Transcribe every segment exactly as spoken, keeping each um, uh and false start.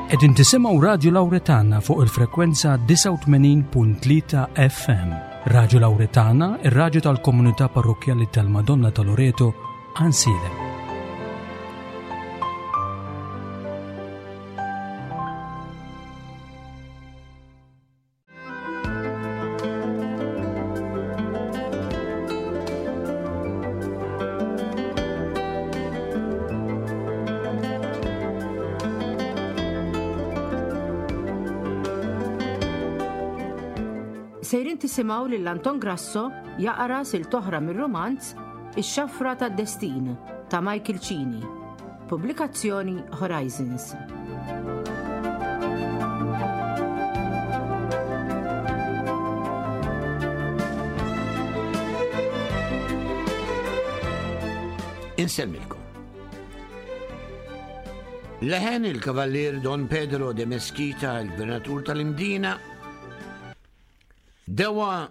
Qegħdin tisimgħu Radju Lawretana fuq il-frekwenza disgħa u tmenin punt tlieta F M. Radju Lawretana, ir-radju tal-Komunità Parrokkjali tal-Madonna ta' Loreto, Għajnsielem. Sejrin tisimgħu lil Anton Grasso jaqra silta oħra mir-romanz Ix-Xafra tad-Destin ta' Michael Cini. Pubblikazzjoni Horizons. Insemmilkom. Leħen il-kavallier Don Pedro de Mesquita, il-gvernatur tal-Imdina, dewa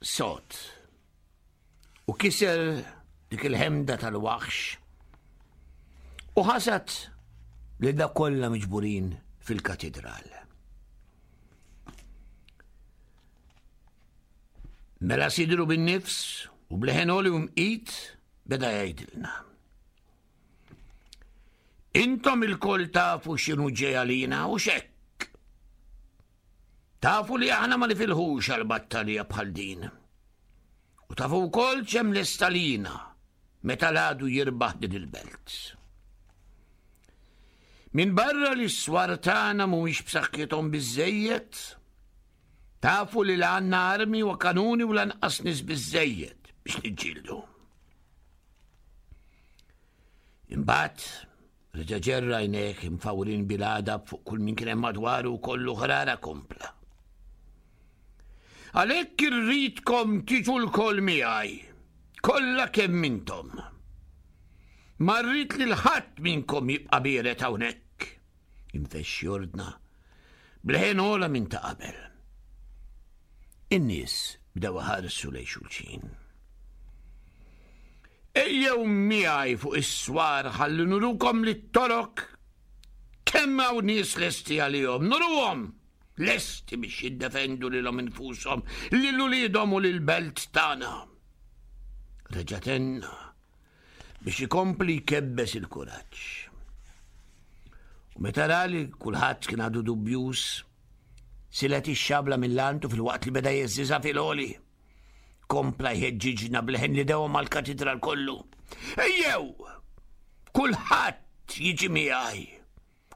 sod u kiser dik il-ħemda tal-waħx u ħasad li da kollha miġburin fil-katedral. Mela sidru bin-nifs u b'leħen għoli u mqit beda jgħidilna: "Intom ilkoll tafu x'inhu ġej għalina u xek. Tafu li aħna ma nifilħux għal battalja bħal din. U tafu wkoll x'hemm lest għalina meta l-għadu jirbaħ din il-belt. Min barra li s-swar tagħna mhumiex b'saħħithom biżejjed, tafu li la għandna armi u kanuni u lanqas nies biżejjed biex niġġieldu." Imbagħad reġa' ġerra għajnejh imfawrin bil-għadab fuq kull min kien hemm madwaru u kollu ħrara kompla: "Għalhekk irridkom tiġu lkoll miegħi, kollha kemm intom. Ma rrid li ħadd minnkom jibqa' biered hawnhekk." Infexx jordna b'leħen ogħla minn ta' qabel. In-nies bdew iħarsu lejn xulxin. "Ejjew miegħi fuq is-swar ħalli nurukom li t-Torok kemm hawn nies lesti għalihom, nuruhom lesti biex jiddefendu lilhom infushom, lil uliedhom u lil-belt tagħna." Reġa' tenna biex ikompli jkebbes il-kuraġġ. U meta ra li kulħadd kien għadu dubjus, silet ix-xabla mill-lantu filwaqt li beda jheżżiżha fil-għoli. Kompla jħeġġiġna b'leħen li dewa mal-katedral kollu: "Ejjew! Kulħadd jiġi miegħi!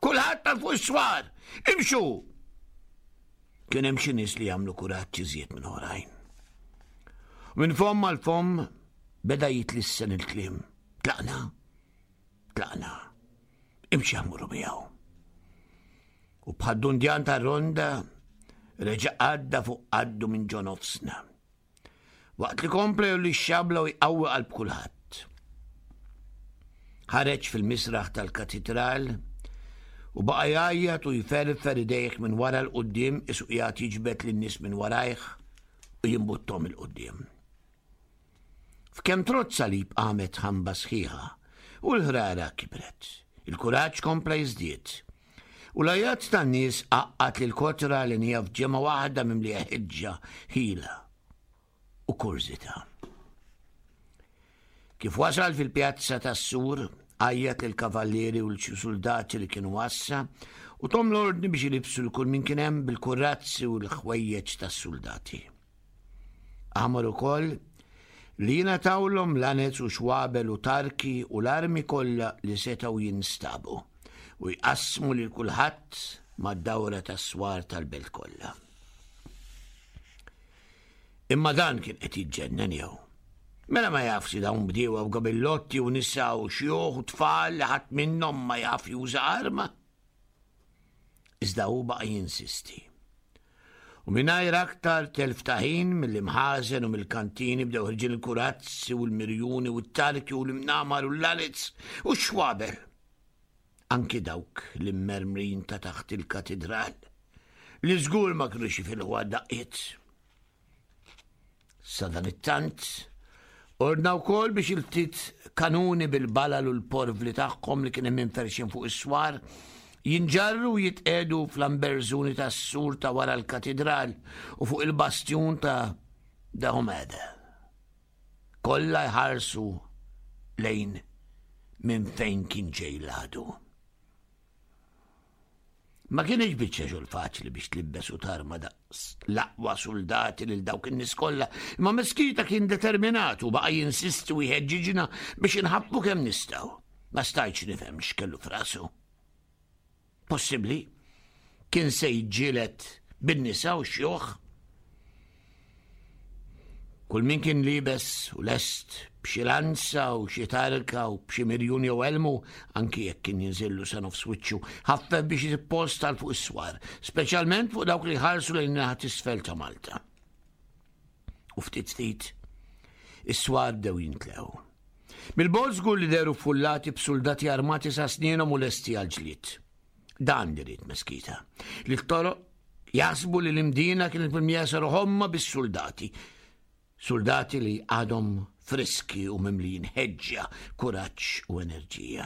Kulħadd għal fuq is-swar! Imxu!" Kien hemm xi nies li jagħmlu kuraġġ iżjed minn oħrajn. Minn fomm għal fomm beda jitlissen il-kliem: "Tlaqna, tlaqna, imxi ħa mmorru miegħu." U bħad-dundjan ta' ronda reġa' għadda fuq qaddu minn ġo nofsna. Waqt li kompla li xabla u jqawwi qalb kulħadd. Ħareġ fil-misraħ tal-katedral u baqa' jgħajjat u jferfer idejh minn wara 'l quddiem qisu qiegħed jiġbed lin-nies minn warajh u jimbuttom 'il quddiem. F'kemm trodd salib qamet ħamba sħiħa u l-ħrara kibret. Il-kuraġġ kompla jiżdied. U l-għajat tan-nies għaqqad lil kotra li nija f'ġemgħa waħda mimlija ħeġġa, ħila u kurżità. Kif wasal fil-pjazza tas-sur, għajjat lill-kavallieri u lil soldati li kienu għassa u tahom l-ordni biex jilibsu 'l kull min kien hemm bil-kurazzi u l-ħwejjeġ tas-soldati. Amar ukoll li jingħatawlhom lanez u xwabel u tarki u l-armi kollha li setgħu jinstabu u jqassmu lil kulħadd mad-dawra tas-swar tal-belt kollha. Imma dan kien qed jiġġennen jew? Mela ma jafx li dawn bdiewa u gabillotti u nisa u xjuħ u tfal li ħadd minnhom ma jaf juża arma? Iżda hu baqa' jinsisti. U mingħajr aktar telf ta' ħin, mill-imħażen u mill-kantini bdew ħerġin il-kurazzi u l-mirjuni u t-tarki u l-imnamar u l-lanez u x-xwabel. Anki dawk l-immermrin ta' taħt il-katedral li żgur ma kienux jifilħu għad-daqqiet. Sadanittant, ordna wkoll biex il-ftit kanuni bil-balal u l-porvli tagħhom li kien hemm inferxin fuq is-swar Jinġarru u jitqegħdu fl-amberżuni tas-sur ta' wara l-katidral u fuq il-bastjun ta' Dahomeda. Kollha jħarsu lejn minn fejn kien ġej l-għadu. Ma kienx biċċa xogħol faċli biex tlibbes u tarma daqs l-aqwa suldati lil dawk in-nies kollha, imma Meskita kien determinat u baqa' jinsisti u jħeġġiġna biex inħabbu kemm nistgħu. Ma stajtx nifhem x'kellu f'rasu. Possibbli kien se jiġġieled bin-nisa u xjuħ. Kull min kien libes u lest b'xi lanza u xi tarka u b'xi mirjun jew elmu, anki jekk kien jinżillu sa nofs wiċċu, ħaffef biex jippost għal fuq is-swar, speċjalment fuq dawk li ħarsu lejn naħa t'isfel ta' Malta. U ftit ftit, is-swar bdew jintlew. Mill-bogħod żgur li dehru fullati b'suldati armati sa snienhom u lesti għall-ġlied. Dan li ried Meskita, li t-toroq jaħsbu li l-Imdina kienet mimlija sa ruħomma bis-suldati. Suldati li għadhom friski u mimlijin ħeġġa, kuraġġ u enerġija.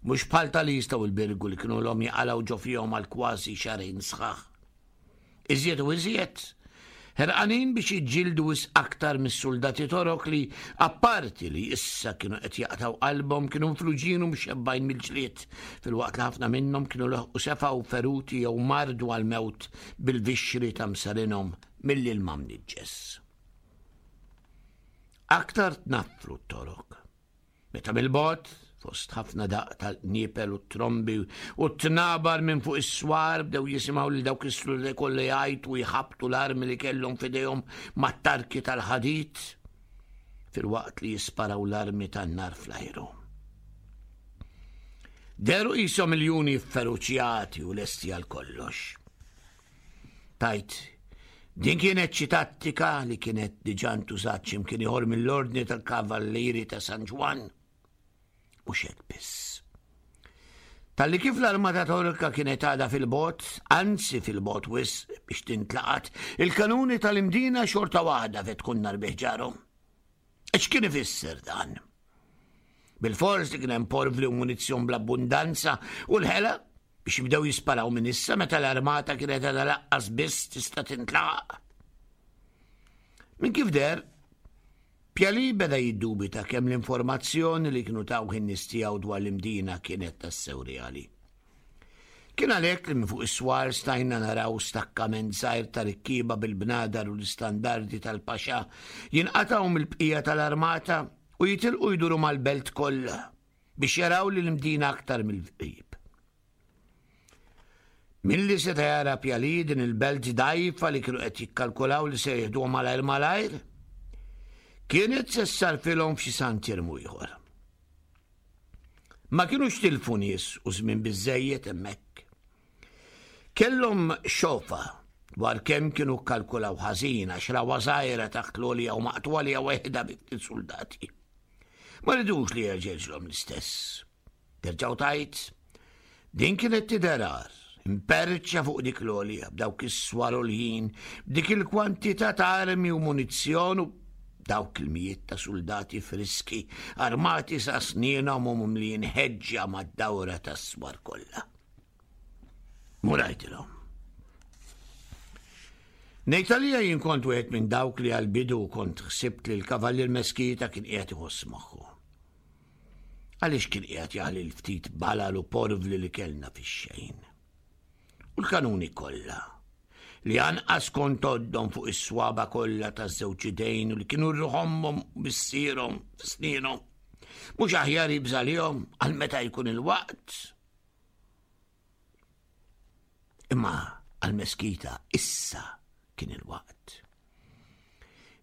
Mhux bħal tal-Isla u l-Birgu li kienu l-om jaqalgħu ġo fihom għal kważi xahrejn sħaħ. Iżjed u iżjed, ħerqanin biex jiġġieldu wisq aktar mis-suldati Torok li, apparti li issa kienu qed jaqtgħu qalbhom, kienu mfluġin u mxebbgħin mill-ġlied, filwaqt li ħafna minnhom kienu leħqu sefgħu feruti jew mardu għall-mewt bil-vixxri ta' msarinhom mill-ilma mniġġes. Aktar tnaffru t-Torok. Meta mill-bogħod, fost ħafna daqq tal-qniepel u t-trombi u t-tnabar minn fuq is-swar, bdew jisimgħu lil dawk is-suldati kollha jgħajtu u jħabbtu l-armi li kellhom f'idejhom mat-tarki tal-ħadid filwaqt li jisparaw l-armi tan-nar fl-ajru. Dehru qishom miljuni fferuċjati u lesti għal kollox. Tajt, din kienet xi tattika li kienet diġà ntużat x'imkien ieħor mill-Ordni tal-Kavallieri ta' San Ġwann. Mhux hekk biss. Talli kif l-armata Torka kienet għadha fil-bogħod, anzi fil-bogħod wisq biex tintlaqat, il-kanuni tal-Imdina xorta waħda fetħu n-nar bi ħġarhom. X'kien ifisser dan? Bil-fors li kien hemm porvli u munizzjon bl-abbundanza u l-ħela biex jibdew jisparaw minn issa meta l-armata kienet għadha laqqas biss tista' tintlaq. Minn kif deher, Pjali beda jiddubita kemm l-informazzjoni li kienu tawh in-nies tiegħu dwar l-Imdina kienet tassew reali. Kien għalhekk li minn fuq is-swar stajna naraw stakkament żgħir ta' rikkieba bil-bnadar u l-istandardi tal-paxa jinqatgħu mill-bqija tal-armata u jitilqu jduru mal-belt kollha biex jaraw li l-Imdina aktar mill-qrib. Milli seta' jara Pjali din il-belt dgħajfa li kienu qed jikkalkulaw li se jieħduha malajr malajr, kienet se ssarfilhom f'xi santirmu ieħor. Ma kinux tilfu nies u żmien biżżejjed hemmhekk. Kellhom xofa dwar kemm kienu kkalkulaw ħażin għax rawha żgħira taħt l-għolja u maqtugħa li waħedha bi ftit suldati. Ma ridux li jerġgħilhom l-istess. Terġgħu tajt, din kienet tidher agħar, imperċa fuq dik l-għolja b'dawk is-swar għoljin, b'dik il-kwantità ta' armi u munizzjon u dawk il-mijiet ta' suldati friski armati sa' snienhom u mimlijin ħeġġa mad-dawra tas-swar kollha. Murajtilhom. Ngħid għalija jien kont wieħed minn dawk li għall-bidu kont ħsibt li l-Kavallier Meskita kien qiegħed iħoss moħħu. Għaliex kien qiegħed jaħli l-ftit balal u porvli li kellna fix-xejn. U l-kanuni kollha li anqas kont għoddhom fuq is-swaba kollha taż-żewġ idejn u li kienu rruħomhom u missierhom f'snienhom. Mhux aħjar jibża' lihom għal meta jkun il-waqt. Imma għal-Meskita issa kien il-waqt.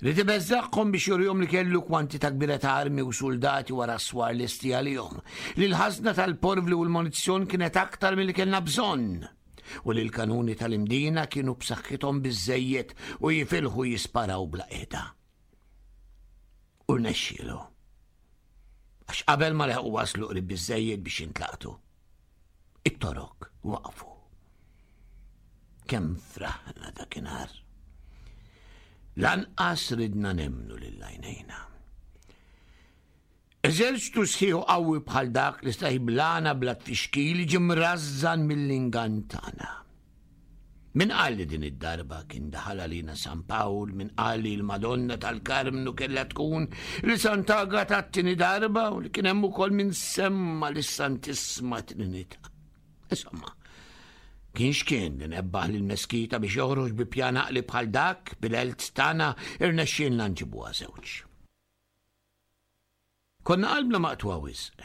Ried ibeżżagħhom biex jurihom li kellu kwantità kbira ta' armi u suldati wara s-swar lesti għalihom, li l-ħażna tal-porvli u l-munizzjon kienet aktar milli kellna bżonn, u li l-kanuni tal-Imdina kienu b'saħħithom biżżejjed u jifilħu jisparaw bla qiegħda. U rnexxielu. Għax qabel ma leħqu waslu qrib biżżejjed biex jintlaqtu. It-Torok waqfu. Kemm fraħna dakinhar. Lanqas ridna nemmnu lil għajnejna. Eżerċtu sħiħ qawwi bħal dak li sta jiblana bla tfixkil ġie mrażżan mill-ingann tagħna. Min qal li din id-darba kien daħal għalina San Pawl, min qal li l-Madonna tal-Karmnu kellha tkun li Sant'Agata t-tieni darba u li kien hemm ukoll min semma lis-Santissma Trinità. Insomma, kien x'kien li nebbaħ lil Meskita biex joħroġ bi pjan għaqli bħal dak bil-għelt tagħna irnexxielna nġibuha żewġ. Konna qalbna maqtugħa wisq,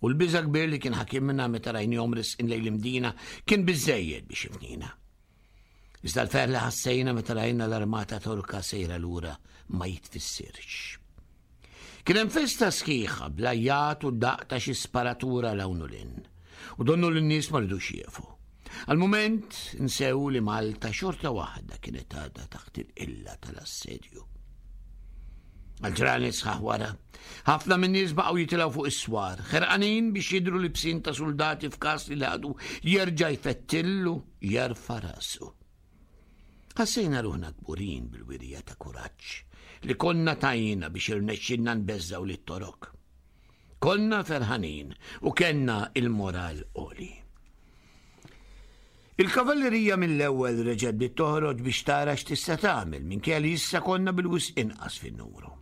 u l-biża' kbir li kien ħakimna meta rajnihom resqin lejn l-Imdina kien biżżejjed biex jifnina. Iżda l-ferħ li ħassejna meta rajna l-armata Torka sejra lura ma jitfissirx. Kien hemm festa sħiħa bl-għajjat u daqq ta' xi sparatura 'l hawn u 'l hinn, u donnu l-nies ma ridux jieqfu. Għal-mument nsew li Malta xorta waħda kienet għadha taħt il-qilla tal-assedju. Għal-ġranet sħaħ wara, ħafna minn nies baqgħu jitilgħu fuq is-swar, ħerqanin biex jidhru libsin ta' soldati f'każ li l-għadu jerġa' jfettillu jerfa' rasu. Ħassejna ruħna kburin bil-wirja ta' kuraġġ li konna tajna biex irnexxinna nbeżżgħu lit-Torok. Konna ferħanin u kellna il-moral għoli. Il-kavallerija mill-ewwel reġgħet bdiet toħroġ biex tara x'tista' tagħmel minkejja li issa konna bil-wisq inqas fin-numru.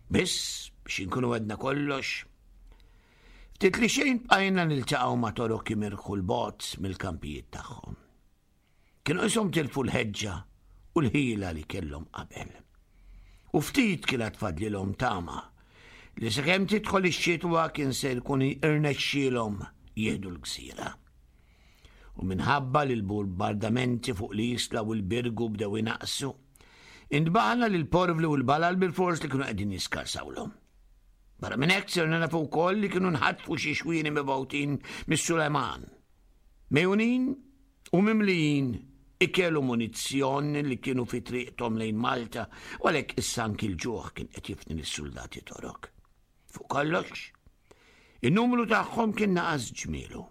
Biss biex inkunu għedna kollox, ftit li xejn bqajna niltaqgħu ma' Torok jimirħu 'l bogħod mill-kampijiet tagħhom. Kienu qishom tilfu l-ħeġġa u l-ħila li kellhom qabel. U ftit kienet fadlilhom tama li sakemm tidħol ix-xitwa kien se jkun irnexxielhom jieħdu l-gżira. U minħabba li l-bombardamenti fuq l-Isla u l-Birgu bdew inaqsu, intbaħna li l-porvli u l-balal bil-fors li kienu qegħdin jiskarsawlhom. Barra minn hekk sirna nafu wkoll li kienu nħatfu xi xwieni mibgħutin mis-Sulejman. Mejjunin u mimlijin ikel u munizzjon li kienu fi triqthom lejn Malta, u għalhekk issa anki l-ġuħ kien qed jifni lis-soldati Torok. Fuq kollox, in-numru tagħhom kien naqas ġmielu,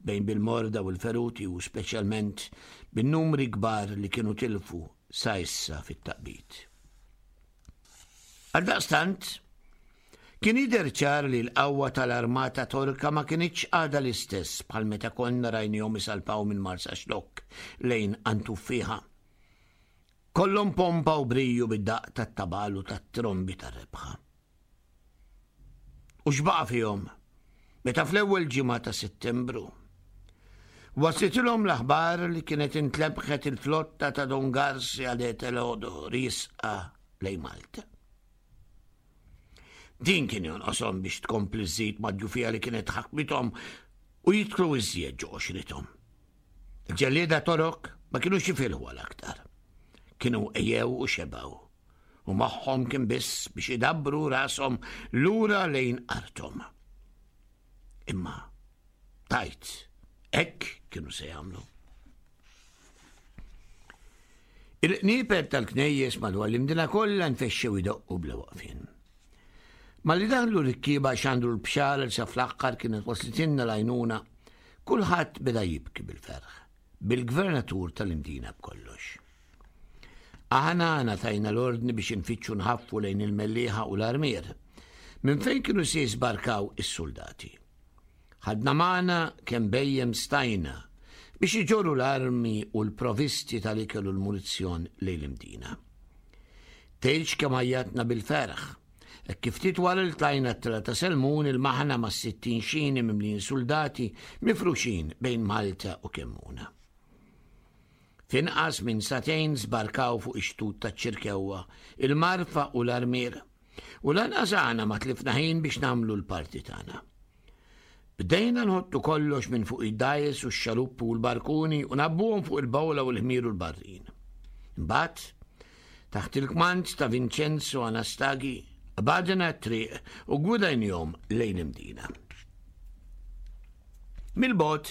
bejn bil-morda u l-feruti u speċjalment bin-numri kbar li kienu tilfu sa issa fit-taqbid. Għaldaqstant, kien jidher ċar li l-qawwa tal-armata Torka ma kinitx għadha l-istess bħal meta konna rajnihom isalpaw minn Marsaxlokk lejn Antuffiħa. Kollhom pompa u briju bid-daqq tat-tabal u tat-trombi tar-rebħa. U x'baqa' fihom meta fl-ewwel ġimgħa ta' Settembru waslitilhom l-aħbar li kienet intlebħet il-flotta ta' Don Garcia de Toledo riesqa lejn Malta. Din kien jonqoshom biex tkompli żżid mad-djufija li kienet ħakmithom u jidħlu iżjed ġo qoxrithom. Il-ġellieda Torok ma kinux jifilħu għal aktar. Kienu ejjew u xebgħu, u magħhom kien biss biex idabbru rashom lura lejn arthom. Imma tajt, hekk kienu se jagħmlu. Il-qnieper tal-knejjes madwar l-Imdina kollha nfexxew idoqqu bla waqfien. Malli daħlu rikkieba xandru l-bxara li sa fl-aħħar kienet waslitilna l-għajnuna, kulħadd beda jibki bil-ferħ, bil-gvernatur tal-Imdina b'kollox. Aħna ngħatajna l-ordni biex infittxu nħaffu lejn il-Mellieħa u l-Armier, minn fejn kienu se jisbarkaw is-soldati. Ħadna magħna kemm bhejjem stajna biex iġorru l-armi u l-provisti tal-ikel u l-munizzjon lejn l-Imdina. Tgħidx kemm għajjatna bil-ferħ, hekk kif ftit wara li tlajna t-tela ta' Selmun il-maħna ma' sittin xini mimlijin soldati mifruxin bejn Malta u Kemmuna. F'inqas minn sagħtejn żbarkaw fuq ix-xtut taċ-Ċirkewwa, il-Marfa u l-Armier, u lanqas aħna ma tlifna ħin biex nagħmlu l-parti tagħna. Bdejna nħottu kollox minn fuq id-dgħajjes u x-xaluppu u l-barkuni u nabbuhom fuq il-bawla u l-ħmir u l-barrin. Imbagħad, taħt il-kmand ta' Vincenzo Anastagi, qbadna t-triq u gwidajnihom lejn l-Imdina. Mill-bogħod,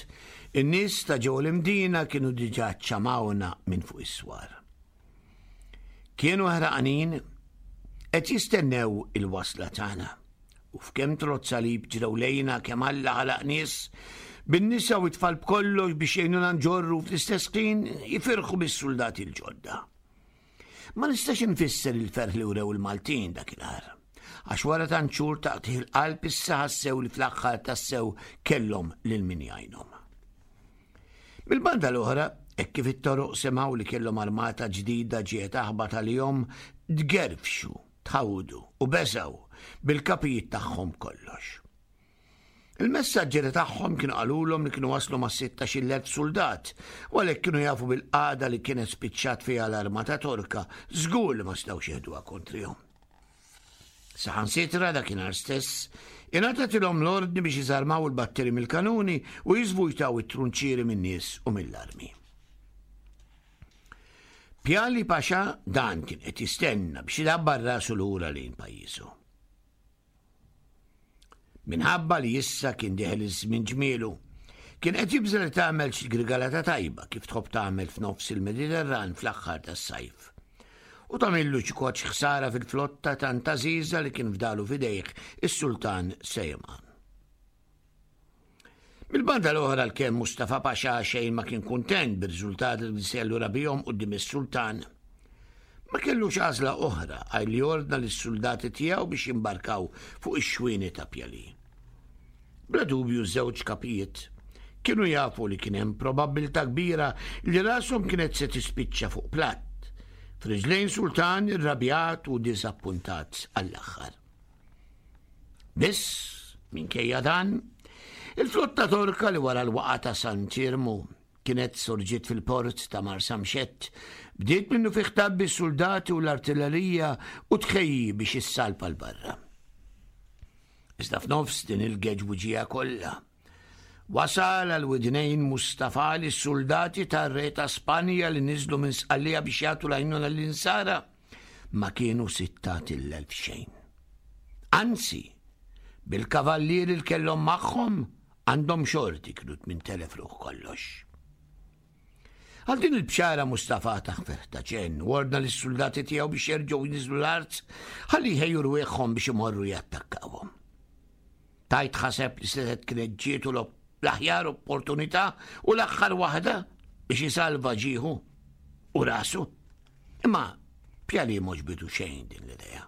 in-nies ta' ġew l-Imdina kienu diġà ċamawna minn fuq is-swar. Kienu ħerqanin qed jistennew il-wasla tagħna. U f'kemm trott salib ġrew lejna kemm Alla ħalaq nies, bin-nisa u t-tfal b'kollox biex jgħinuna nġorru fl-istess ħin jifirħu bis-soldati l-ġodda. Ma nistax infisser il-ferħ li wrew il-Maltin dakinhar. għax wara tant xhur ta' qtigħ il-qalb issa ħassew li fl-aħħar tassew kellhom lil min jgħinhom. Mill-banda l-oħra, hekk kif it-Torok semgħu li kellhom armata ġdida ġiet taħbat għalihom, tgerfxu, tħawdu u beżgħu bil-kapijiet tagħhom kollox. Il-messaġġeri tagħhom kienu qalulhom li kienu waslu ma' sittax-il elf suldat, u għalhekk kienu jafu bil-qagħda li kienet spiċċat fiha l-armata Torka, żgur li ma setgħux jeħduha kontrihom. Saħansitra dakinhar stess, ingħatatilhom l-ordni biex iżarmaw il-batteri mill-kanuni u jiżvujtaw it-trunċieri min-nies u mill-armi. Pjali Paxa dan kien qed jistenna biex idabbar rasu lura lejn pajjiżu. Minħabba li issa kien dieħel iż-żmien ġmielu, kien qed jibża' li tagħmel xi grigalata tajba kif tħobb tagħmel f'nofs il-Mediterran fl-aħħar tas-sajf. U tagħmillu xi koċ ħsara fil-flotta tant għażiża li kien fdalu f'idejh is-Sultan Sejman. Mill-banda l-oħra l-kemm Mustafa Pasha xejn ma kien kuntent bir-riżultati li se jallura bihom quddiem is-Sultan. Ma kellux għażla oħra għajr li ordna lis-soldati tiegħu biex jimbarkaw fuq ix-xwieni ta' Pjali. Bla dubju żewġ kapijiet kienu jafu li kien hemm probabbiltà kbira li rashom kienet se tispiċċa fuq platt, f'riġlejn sultan irrabjat u diżappuntat għall-aħħar. Biss, minkejja dan, il-flotta Torka li wara l-waqgħa ta' Sant'Iermu kienet sorġiet fil-port ta' Marsamxett, bdiet minnu fih tgħabbi s-soldati u l-artillerija u tħejji biex issalpa 'l barra. Iżda f'nofs din il-geġbuġija kollha, wasal għal widnejn Mustafa li s-soldati tar-re ta' Spanja li niżlu minn Sqallija biex jagħtu l-għajnuna l-insara ma kienu sittat il-elf xejn. Anzi, bil-kavallieri li kellhom magħhom għandhom xorti kienu tmien telef ruħ kollox. Għal din il-bxara Mustafa taħfer ta' ġenn u ordna lis-soldati tiegħu biex jerġgħu jniżlu l-art ħalli jħejju rwieħhom biex imorru jattakkawhom. Tajt ħaseb li setgħet kienet ġietu l-aħjar opportunità u l-aħħar waħda biex isalva ġieħu u rasu. Imma Pjali m'għoġbitu xejn din l-idea.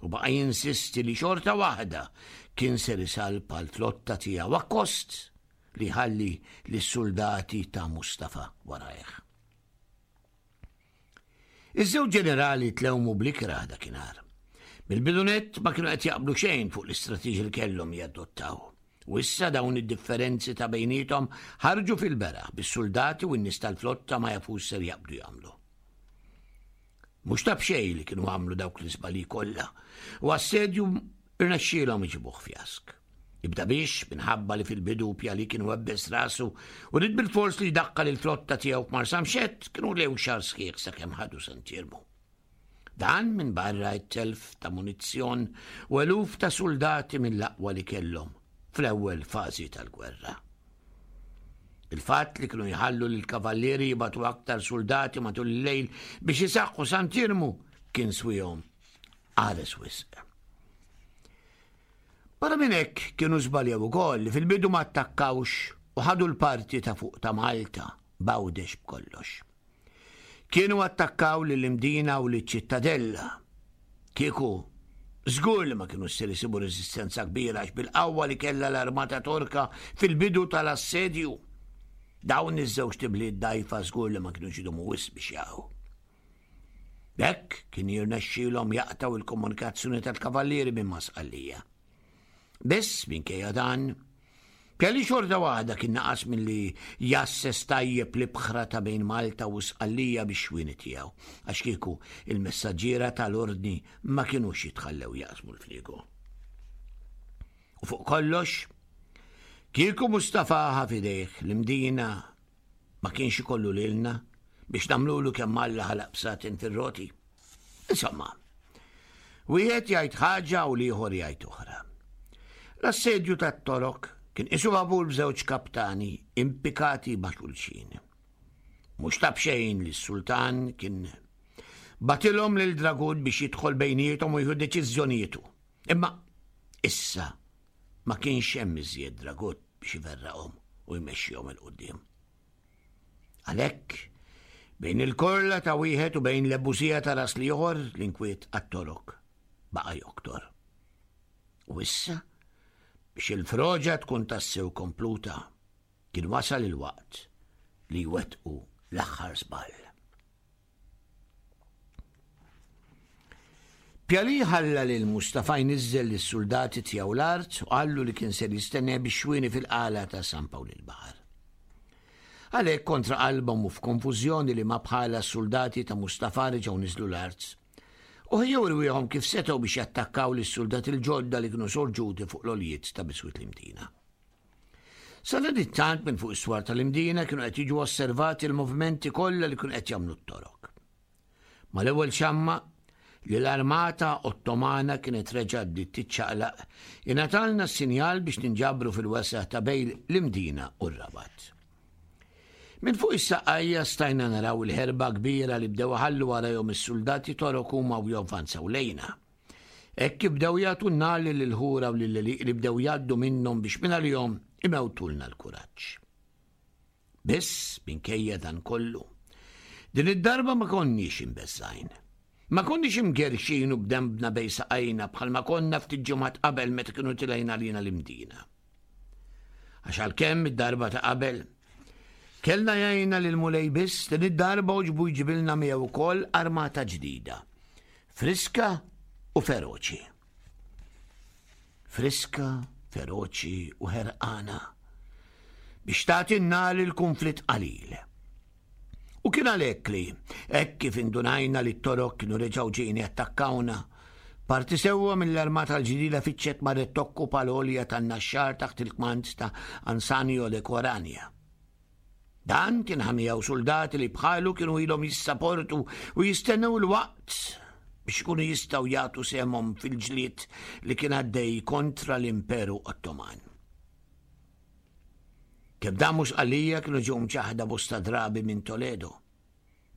U baqa' jinsisti li xorta waħda kien ser isalpa l-flotta tiegħu akkost li ħalli lis-soldati ta' Mustafa warajh. Iż-żewġ ġenerali tlewmu bl-ikrah dakinhar. Mill-bidu nett ma kienu qed jaqblu xejn fuq l-istrateġiji li kellhom jadottaw. U issa dawn id-differenzi ta' bejniethom ħarġu fil-beraħ bis-soldati u n-nies tal-flotta ma jafux ser jaqbdu jagħmlu. Mhux ta' b'xejn li kienu għamlu dawk l-iżbalji kollha u assedju irnexxielhom iġibuh fjask. Ibda biex, minħabba li fil-bidu Pjali kienu webbes rasu u rid bil-fors li jdaqqal il-flotta tiegħu f'Marsamxett, kienu lew xahar sħiħ sakemm ħadu Sant'Iermu. Dan minn barra t-telf ta' munizzjon u eluf ta' soldati mill-aqwa li kellhom fl-ewwel fażi tal-gwerra. Il-fatt li kienu jħallu lil kavallieri jibatu aktar soldati matul il-lejl biex isaqqu Sant'Iermu kien swihom qares wisq. Barra minn hekk kienu żbaljaw ukoll li fil-bidu ma attakkawx u ħadu l-parti ta' fuq ta' Malta b'Għawdex b'kollox. Kienu attakkaw lill-Imdina u liċ-Ċittadella. Kieku żgur li ma kienu ser isibu reżistenza kbira għax bil-qawwa li kellha l-armata Torka fil-bidu tal-assedju. Dawn iż-żewġ tibliet dgħajfa żgur li ma kienux idumu wisq biex jaqgħu. B'hekk kien jirnexxielhom jaqtgħu il-komunikazzjoni tal-kavallieri minn ma' Sqallija. Biss minkejja dan, Pjali xorta waħda kien naqas milli jasses tajjeb l-ibħra ta' bejn Malta u Sqallija bix-xwieni tiegħu, għax kieku il-messaġġiera tal-ordni ma kinux jitħallew jaqsmu l-fliegu. U fuq kollox, kieku Mustafa ħa f'idejh l-Imdina ma kienx ikollu lilna biex nagħmlulu kemm Alla ħalaq bsatin fir-roti. Insomma, wieħed jgħid ħaġa u l-ieħor jgħid oħra. L-assedju tat-Torok kien isu vapur b'żewġ kaptani impikati ma' xulxin. Mhux ta' b'xejn li s-sultan kien batilhom lil Dragut biex jidħol bejniethom u jieħu deċiżjonietu. Imma issa ma kienx hemm iżjed Dragut biex iverraqhom u jmexxihom 'il quddiem. Għalhekk, bejn il-korla ta' wieħed u bejn l-ebusija ta' ras l-ieħor l-inkwiet għat-Torok baqa' joktor. U issa, biex il-froġa tkun tassew kompluta, kien wasal il-waqt li jwettqu l-aħħar żball. Pjali ħalla lil Mustafa jniżżel lis-suldati tiegħu l-art u qallu li kien ser jistenna biex xwieni fil-qala ta' San Pawl il-Baħar. Għalhekk kontra qalbhom u f'konfużjoni li ma bħala s-suldati ta' Mustafa reġgħu niżlu l-art. U ħejjew rwieħhom kif setgħu biex jattakkaw lis-suldati l-ġodda li kienu sorġuti fuq l-oljiet ta' biswit l-Imdina. Sadanittant minn fuq is-swar tal-Imdina kienu qed jiġu osservati l-movimenti kollha li kienu qed jagħmlu t-Torok. Mal-ewwel xamma li l-armata Ottomana kienet reġgħet bdiet tiċċaqlaq, ingħatalna s-sinjal biex ninġabru fil-wesgħa ta' bejn l-Imdina u r-Rabat. Minn fuq is-saqajja stajna naraw il-ħerba kbira li bdew iħallu warajhom is-suldati Torok huma u javvanzaw lejna. Hekk kif bdew jagħtu n-nar lill-ħura u lill-għelieq li bdew jgħaddu minnhom biex minn għalihom imewtulna l-kuraġġ. Biss minkejja dan kollu, din id-darba ma konniex imbeżżgħin. Ma konniex imgerxin u b'dembna bejn saqajna bħalma konna ftit ġimgħat qabel meta kienu tilgħin għalina l-Imdina. Għax għalkemm id-darba ta' qabel kellna jgħinna lil Mulej biss, din id-darba għoġbu jġibilna miegħu wkoll armata ġdida, friska u feroċi. Friska, feroċi u ħerqana biex tagħti n-nar il-kunflitt qalil. U kien għalhekk li, hekk kif indunajna li t-Torok kienu reġgħu ġejjin jattakkawna, parti sewwa mill-armata l-ġdida fittxet marret tokkupa l-għolja tan-Naxxar taħt il-kmand ta' Ansanio de Corania. Dan kien ħa miegħu soldati li bħalu kienu ilhom jissaportu u jistennew il-waqt biex ikunu jistgħu jagħtu sehemhom fil-ġlied li kien għaddej kontra l-Imperu Ottoman. Kemm damu Sqallija kienu ġew mċaħda bosta drabi minn Toledo,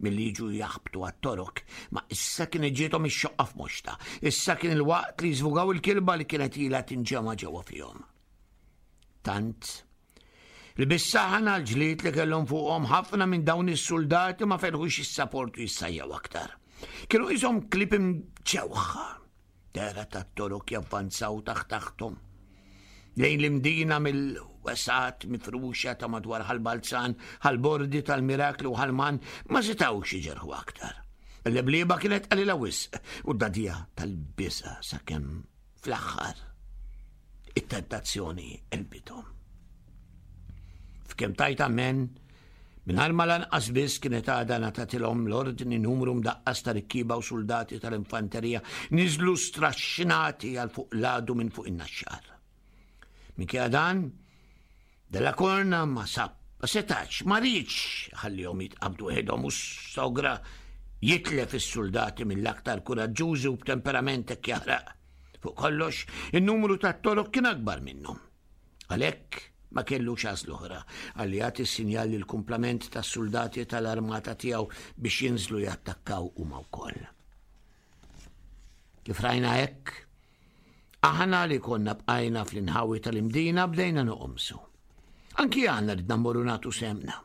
milli jiġu jaħbtu għat-Torok, ma issa kien ġiethom ix-xoqqa f'moxta, issa kien il-waqt li jiżvugaw il-kilba li kienet ilha tinġema' ġewwa fihom. Tant li bis-saħħa l-ġlied li kellhom fuqhom ħafna minn dawn is-suldati ma felħux jissaportu jissajjaw aktar. Kienu qishom klieb imġewħa, dehra tat-Torok javvanzaw taħt taħthom lejn l-Imdina mill-wesat mifruxa ta' madwar Ħal-Balzan, Ħal-Bordi tal-Mirakli u Ħalman ma setgħux iġerħu aktar. Il-leblieba kienet qalila wisq u d-dadija tal-biża' sakemm fl-aħħar it-tentazzjoni qelbithom. F'kemm tajt amen, mingħajr ma lanqas biss kienet għadha ngħatatilhom l-ordni numru mdaqqas ta' rikkieba u soldati tal-infanterija niżlu straxxinati għal fuq l-għadu minn fuq in-Naxxar. Minkejja dan, Della Corna ma sab, ma setax, ma riedx ħallihom jitqabdu weħidhom u sogra jitlef is-soldati mill-aktar kuraġġużi u b'temperament hekk jaħraq. Fuq kollox, in-numru tat-Torok kien akbar minnhom. Għalhekk ma kellux għażla oħra għalli jagħti s-sinjal lil kumplament tas-soldati tal-armata tiegħu biex jinżlu jattakkaw huma wkoll. Kif rajna hekk, aħna li konna bqajna fl-inħawi tal-Imdina bdejna noqomsu. Anki aħna ridna mmorru nagħtu semna.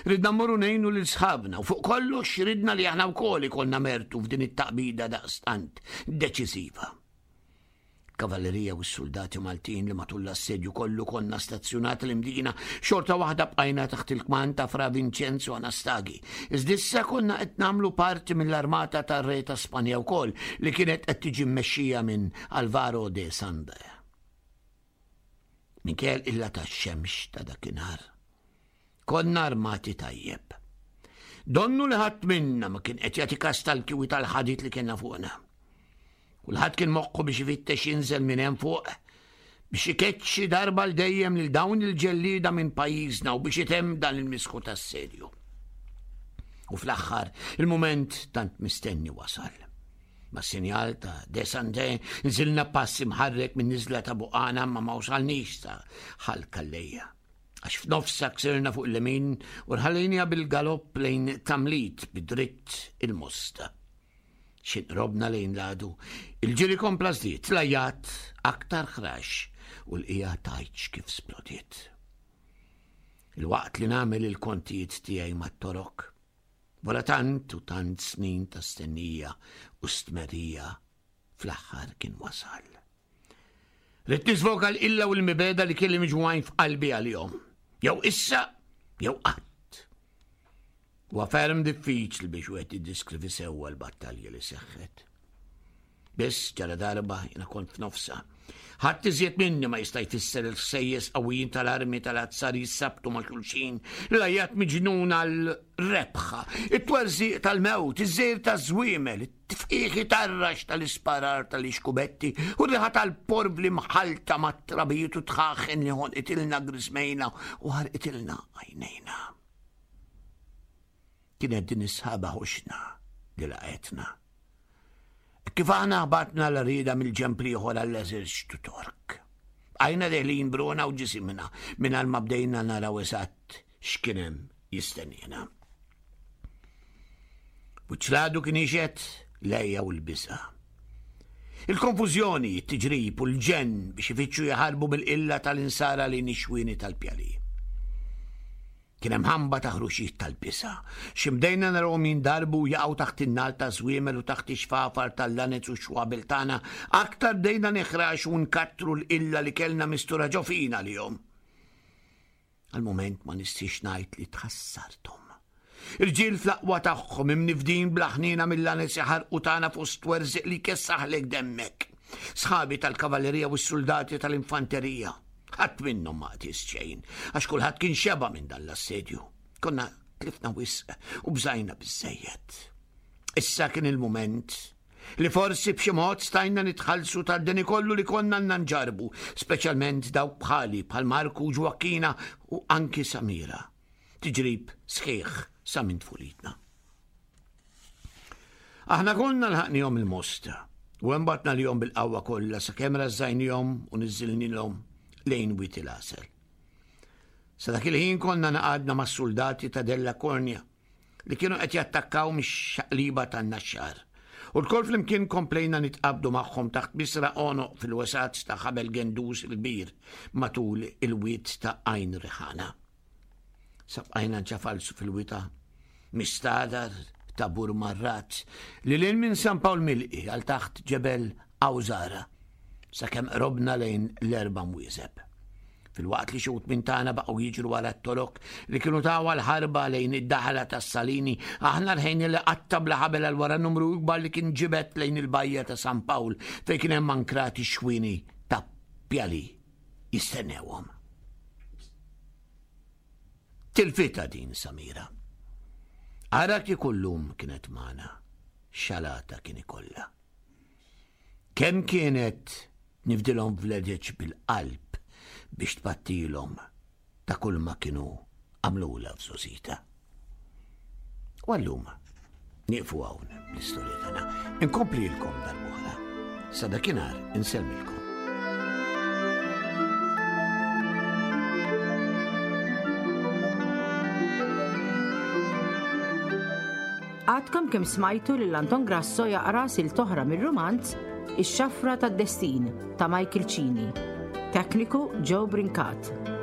Ridna mmorru ngħinu lil sħabna u fuq kollox ridna li aħna wkoll ikollna mertu f'din it-taqbida daqstant deċiżiva. Kavallerija u s-soldati Maltin li matul l-assedju kollu konna stazzjonati l-Imdina xorta waħda bqajna taħt il-kmand ta' Fra Vincenzo Anastagi. Iżda issa konna qed nagħmlu parti mill-armata tar-Re ta' Spanja wkoll li kienet qed tiġi mmexxija minn Alvaro de Sande. Minkejja l-qilla tax-xemx ta' dakinhar, konna armati tajjeb. Donnu li ħadd minna ma kien qed jagħti kas tal-kiwi tal-ħadid li kellna fuqna. Kulħadd kien moħħu biex ifittex jinżel minn hemm fuq biex ikeċċi darba l dejjem lil dawn il-ġellieda minn pajjiżna u biex itemm dan il-misħu tas-sedju. U fl-aħħar, il-mument tant mistenni wasal. Ma' sinjal ta' De Sande nżilna passi mħarrek minn niżla ta' Buqana ma ma wasalniex sa Ħal Kallejja. Għax f'nofsa ksirna fuq il-lemin u rħallinja bil-galopp lejn Tamlit bidritt il-Mosta. Xinqrobna lejn l-għadu, il-ġiri kompla żdied, l-ajjat aktar ħrax u l-qija tajċ kif splodiet. Il-waqt li nagħmel il-kontijiet tiegħi mat-Torok, wara tant u tant snin ta' stennija u stmerija, fl-aħħar kien wasal. Ridt niżvoga l-qilla u l-mibegħda li kelli miġmugħin f'qalbi għalihom. Jew issa, jew qatt. Huwa ferm diffiċli biex wieħed jiddiskrivi sewwa l-battalja li seħħet. Biss ġara darba jiena kont f'nofsha. Ħadd iżjed minni ma jista' jfisser il-ħsejjes qawwijin tal-armi tal-azzar jissabtu ma' xulxin, l-għajat miġnun għal-rebħa, it-twerżiq tal-mewt, iż-żejr taż-żwiemel, it-tifqigħ tarrax tal-isparar tal-ixkubetti u r-riħa tal-porvli mħallta mat-trabijiet u dħaħen li ħonqitilna griżmejna u ħarqitilna għajnejna. Kienet din is-sħaba ħoxna li laqgħetna. Kif aħna ħbatna l-għarrieda mill-ġenb l-ieħor għall-eżerċtu Tork. Bqajna deħlin b'ruħna u ġisimna mingħajr ma bdejna naraw eżatt x'kien hemm jistenniena. Wiċċ l-għadu kien jixhed l-għeja u l-biża'. Il-konfużjoni, it-tiġrib u l-ġenn biex ifittxu jaħarbu mill-qilla tal-insara lejn ix-xwieni tal-pjali. Kien hemm ħamba ta' ħruxijiet tal-biża'. Xi bdejna narawhom jindarbu u jaqgħu taħt in-nagħal taż-żwiemel u taħt ix-xfafar tal-lanez u x-xwabel tagħna, aktar bdejna niħraxu u nkattru l-qilla li kellna mistura ġo fina għalihom. Għal mument ma nistix ngħid li tħassarthom. Irġiel fl-aqwa tagħhom imnifdin bla ħniena mill-lanez jaħarqu tagħna fost werżiq li jkessaħlek demmek. Sħabi tal-kavallerija u s-soldati tal-infanterija. Ħadd minnhom ma qties xejn, għax kulħadd kien xeba minn dan l-assedju. Konna tlifna wisq u bżajna biżżejjed. Issa kien il-mument li forsi b'xi mod stajna nitħallsu tad-deni kollu li konna għandna nġarbu, speċjalment dawk bħali bħal Marku Ġwakkina u anki Samira. Tiġrib sħiħ sa minn tfulitna. Aħna konna lħaqnihom il-Mosta u hemm batna lihom bil-qawwa kollha sakemm rażżajnihom u niżżilnilhom lejn Wied il-Għasel. Sa dak il-ħin konna naqadna mas-soldati ta' Della Cornia li kienu qed jattakkaw mix-xaqliba tan-Naxxar. U lkoll flimkien komplejna nitqabdu magħhom taħt bisra għonoq fil-wesat ta' ħabel Gendus il-kbir matul il-wied ta' Għajn Riħana. Sa bqajna nċafalsu fil-wita mistadar ta' Burmarrat li lil minn San Pawl Milqi għal taħt ġebel Awżara sakemm qrobna lejn l-erba' mwieżeb. Filwaqt li xi wħud minn tagħna baqgħu jiġru wara t-Torok li kienu taw l-ħarba lejn id-daħla tas-Salini, aħna rħejna li qatta bla ħabel għal wara numru ikbar li kien ġibed lejn il-bajja ta' San Pawl fejn kien hemm ankrati xwieni ta' pjali jistennewhom. Tilfita din Samira. Ara kieku llum kienet magħna, xalata kien ikollha. Kemm kienet nifdilhom vleġeġ bil-qalb biex tpattilhom ta' kull ma kienu għamlula f'żgħożitha. U għallum, nieqfu hawn l-istorja tagħna. Inkomplilkom darb'oħra. Sa dakinhar insellmilkom. Għadkom kemm smajtu lil Anton Grasso jaqra silta oħra mir-rumanz Ix-Xafra tad-Destin ta' Michael Cini. Tekniku Joe Brincat.